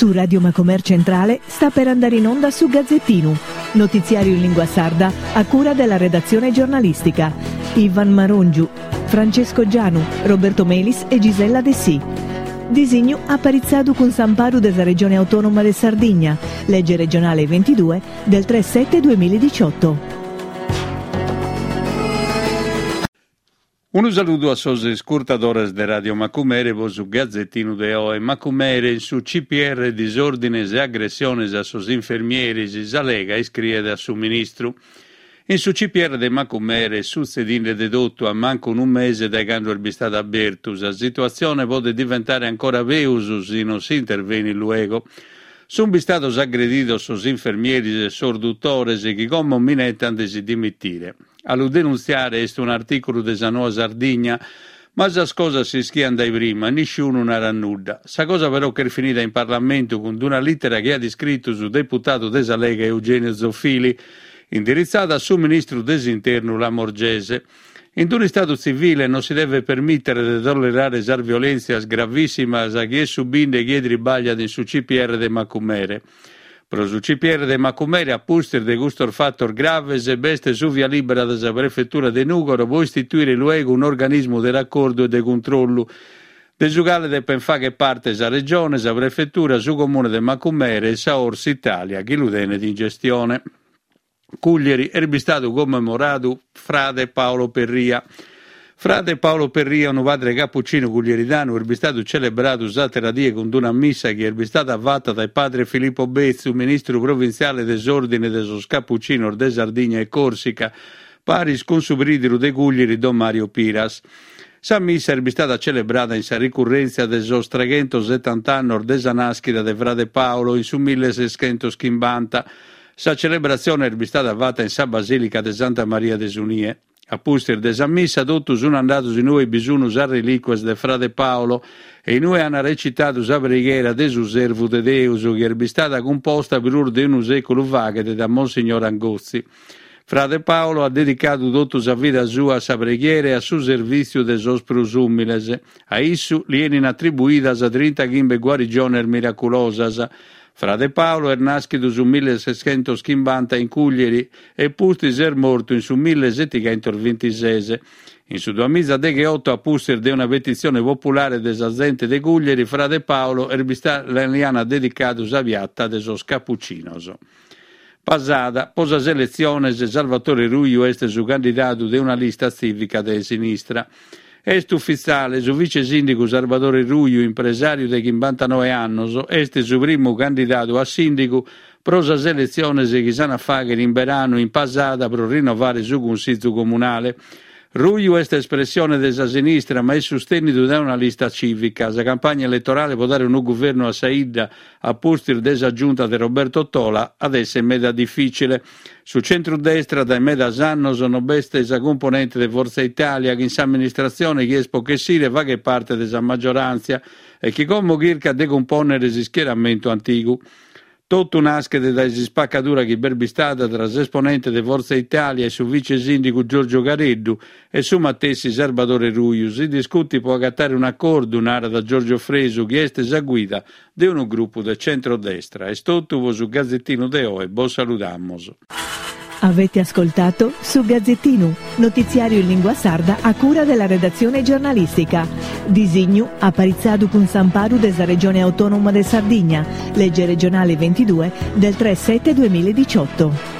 Su Radio Macomer Centrale sta per andare in onda su Gazzettinu, notiziario in lingua sarda a cura della redazione giornalistica. Ivan Marongiu, Francesco Gianu, Roberto Melis e Gisella Dessì. Disignu aparitzadu cun s'amparu de sa Regione Autonoma de Sardigna, lege regionale 22 del 3 7 2018. Unu saludu a sos iscurtadores de Radio Macumere pro su Gazetinu de oe. Macumere, in su CPR disòrdines e agressiones a sos infermieris, sa Lega iscriet a su ministru. In su CPR de Macumere est sutzedinde de totu a mancu unu mese dae cando est bistadu abertu. Sa situatzione podet diventare ancora peus si non si intervenit luego. Sunt bistados agredidos sos infermieris e sos dutores chi como minetant de si dimitire. A lu denuntziare est un'artìculu de sa Noa Sardigna, ma sas cosas s'ischiant dae prima e nisciunu narat nudda. Sa cosa però ch'est finida in Parlamentu cun d'una lìtera chi at iscritu su deputadu de sa Lega Eugenio Zoffili, indiritzada a su ministru de s'Internu Lamorgese. In d'un'istadu tzivile non si devet permìtere de tollerare sas violèntzias gravìssimas chi est subinde chie tribagliat in su CPR de Macumere. Pro su CPR de Macumere, a pustis de custos fatos graves, b'est su via lìbera de sa Prefetura de Nùgoro pro istituire luego un'organismu de racordu e de cuntrollu, de su cale depent fàghere parte sa Regione, sa Prefetura, su Comune de Macumere e sa Ors Italia chi lu tenet in gestione. Cuglieri est bistadu commemoradu frade Paolo Perria. Frade Paolo Perria, unu padre capuccinu cuglieridanu, est bistadu celebradu s'àtera die cun d'una missa chi est bistada fata dae padre Filippo Betzu, ministru provintziale de s'Òrdine de sos Capuccinos de Sardigna e Còrsica, paris cun su prìdiru de Cuglieri don Mario Piras. Sa missa est bistada celebrada in sa ricurrèntzia de sos treghentosetant'annos de sa nàschida de frade Paolo in su milleseschentochimbanta. Sa celebratzione est bistada fata in sa Basìlica de Santa Maria de su Nie. A pustis de sa missa totus sun andados in ue bi sun sas relìcuas de frade Paolo e in ue an recitadu sa preghiera de su Servu de Deus chi est bistada cumposta prus de unu sèculu faghet da Monsignor Angotzi. Frade Paolo at dedicadu totu sa vida sua a sa preghiera e a su servìtziu de sos prus ùmiles. A issu li 'enin atribuidas trintachimbe guarigiones miraculosas. Frade Paolo est nàschidu su millesescentochimbanta in Cùglieri e pustis est mortu in su millesetighentosvintises. In su duamizadegheoto, a pustis de una petitzione populare de sa zente de Cùglieri, frade Paolo est bistadu li an dedicadu sa piata de sos Capucinos. Pasada, pro sas eletziones, Salvatore Ruiu est su candidadu de una lista tzìvica de sinistra. Est ufitziale, su vice sìndigu Sarbadore Ruiu, impresàriu de chimbantanoe annos, est su primu candidadu a sìndigu pro sas eletziones chi s'an a fàghere in beranu in Pasada pro rinnovare su Cunsizu Comunale. Ruiu est espressione de sa sinistra ma est sustènnidu dae una lista cìvica. Sa campagna eletorale pro dare unu guvernu a sa 'idda a pustis de sa giunta de Roberto Tola at èssere meda difìcile. Su centru-destra dae medas annos non b'est sa cumponente de Forza Italia chi in s'amministratzione chi est pro chessire faghet parte de sa maggioràntzia e chi como chircat de cumpònnere s'ischieramentu antigu. Totu naschet dae s'ispacadura chi b'est bistada tra s'esponente de Forza Italia e su vice sìndigu Giorgio Careddu e su matessi Sarbadore Ruiu. Si discutit pro agatare un'acordu, narat Giorgio Fresu, chi est sa guida de unu grupu de centrodestra. Est totu pro su Gazetinu de oe, bos saludamus. Avete ascoltato Su Gazzettinu, notiziario in lingua sarda a cura della redazione giornalistica. Disignu aparitzadu cun s'amparu de sa Regione Autonoma de Sardigna, legge regionale 22 del 3 7 2018.